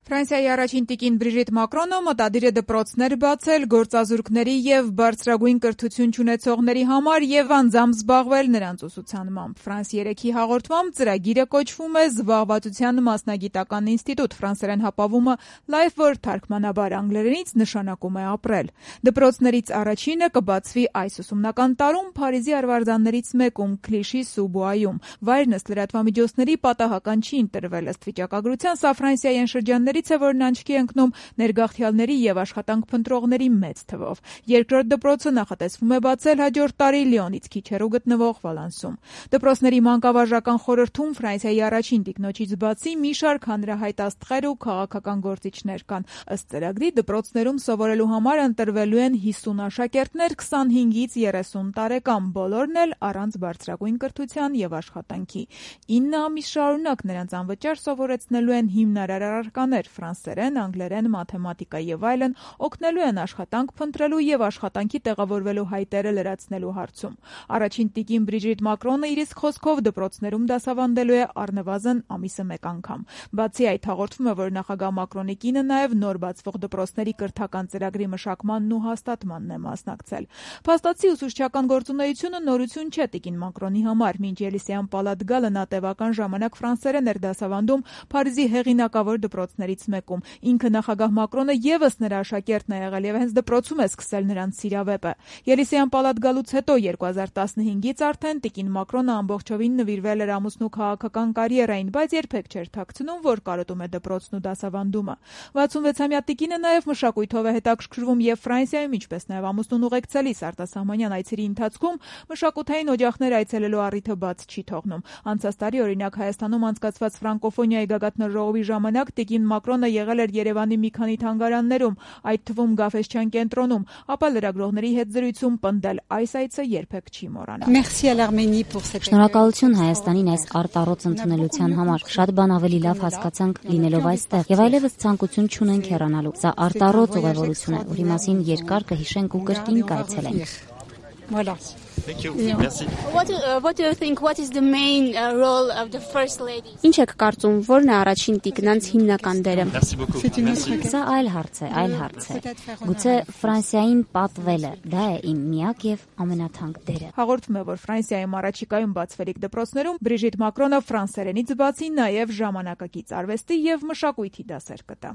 Ֆրանսիայի առաջին տիկին Բրիժիտ Մակրոնը մտադիր է դպրոցներ բացել գործազուրկների եւ բարձրագույն կրթություն չունեցողների համար եւ անձամբ զբաղվել նրանց ուսուցանմամբ։ France 3-ի հաղորդմամբ ծրագիրը կոչվում է Զբաղվածության մասնագիտական ինստիտուտ, ֆրանսերեն հապավումը Life, որ թարգմանաբար անգլերենից նշանակում է ապրել։ Դպրոցներից առաջինը կբացվի այս ուսումնական տարում Փարիզի արվարձաններից մեկում Clichy-sous-Bois-ում։ Վայրն ըստ լրատվամիջոցների պատահական չի ընտրվել ըստ վիճակագրության, սա Ֆրանսիայի շրջաններից է, որն աչքի է ընկնում ներգաղթյալների եւ աշխատանք փնտրողների մեծ թվով։ Երկրորդ դպրոցը նախատեսվում է բացել հաջորդ տարի Լիոնից քիչ հեռու գտնվող Վալանսում։ Դպրոցների մանկավարժական խորհրդում Ֆրանսիայի առաջին տիկնոջից բացի մի շարք հանրահայտ աստղեր ու քաղաքական գործիչներ կան։ Ըստ ծրագրի դպրոցներում սովորելու համար ընտրվելու են 50 աշակերտներ 25-ից 30 տարեկան, բոլորն էլ առանց բարձրագույն կրթության եւ աշխատանքի։ 9 ամիս շարունակ նրանց անվճար սովորեցնելու են հիմնարար առարկաներ՝ ֆրանսերեն, անգլերեն, մաթեմատիկա եւ այլն, օգնելու են աշխատանք փնտրելու եւ աշխատանքի տեղավորվելու հայտերը լրացնելու հարցում։ Առաջին տիկին Բրիժիտ Մակրոնը իր իսկ խոսքով դպրոցներում դասավանդելու է առնվազն ամիսը մեկ անգամ։ Բացի այդ, հաղորդվում է, որ նախագահ Մակրոնի կինը նաեւ նոր բացվող դպրոցների կրթական ծրագրի մշակմանն ու հաստատմանն է մասնակցել։ Փաստացի ուսուցչական գործունեությունը նորություն չէ տիկին Մակրոնի համար։ Մինչ Ելիսեյան պալատ գալը նա տևական ժամանակ ֆրանսերեն էր դասավանդում Փարիզի հեղինակավոր դպրոցներից մեկում։ Ինքը նախագահ Մակրոնը եւս նրա աշակերտն է եղել եւ հենց դպրոցում է սկսել նրանց սիրավեպը։ Ելիսեյան պալատ գալուց հետո 2015-ից արդեն տիկին Մակրոնը ամբողջովին նվիրվել էր ամուսնու քաղաքական կարիերային, բայց երբեք չէր թաքցնում, որ կարոտում է դպրոցն ու դասավանդումը։ 66-ամյա տիկինը նաեւ մշակույթով է հետաքրքրվում եւ Ֆրանսիայում, ինչպես նաեւ ամուսնուն ուղեկցելիս արտասահմանյան այցերի ընթացքում մշակութային օջախներ այցելելու առիթը բաց չի թողնում։ Անցած տարի, օրինակ, Հայաստանում անցկացված ֆրանկոֆոնիայի գագաթնաժողովի ժամանակ տիկին Մակրոնը եղել էր Երևանի մի քանի թանգարաններում, այդ թվում Գաֆէսչյան կենտրոնում, ապա լրագրողների հետ զրույցում պնդել այս այցը երբեք չի մոռանա։ Շնորհակալություն Հայաստանին այս արտառոց ընդունելության համար։ Շատ բան ավելի լավ հասկացանք լինելով այստեղ եւ այլևս ցանկություն չունենք հեռանալու։ Սա արտառոց ուղևորություն է, որի մասին երկար կհիշենք ու կրկին կայցելենք։ Voilà. Thank you. Merci. What do you think? What is the main role of the first lady? Ինչ եք կարծում, որն է առաջին տիկնանց հիմնական դերը? Merci beaucoup. Սա այլ հարց է։ Գուցե Ֆրանսիային պատվելը, դա է իմ միակ եւ ամենաթանկ դերը։ Հաղորդվում է, որ Ֆրանսիայում առաջիկայում բացվելիք դպրոցներում Բրիժիտ Մակրոնը ֆրանսերենից բացի նաեւ ժամանակակից արվեստի եւ մշակույթի դասեր կտա։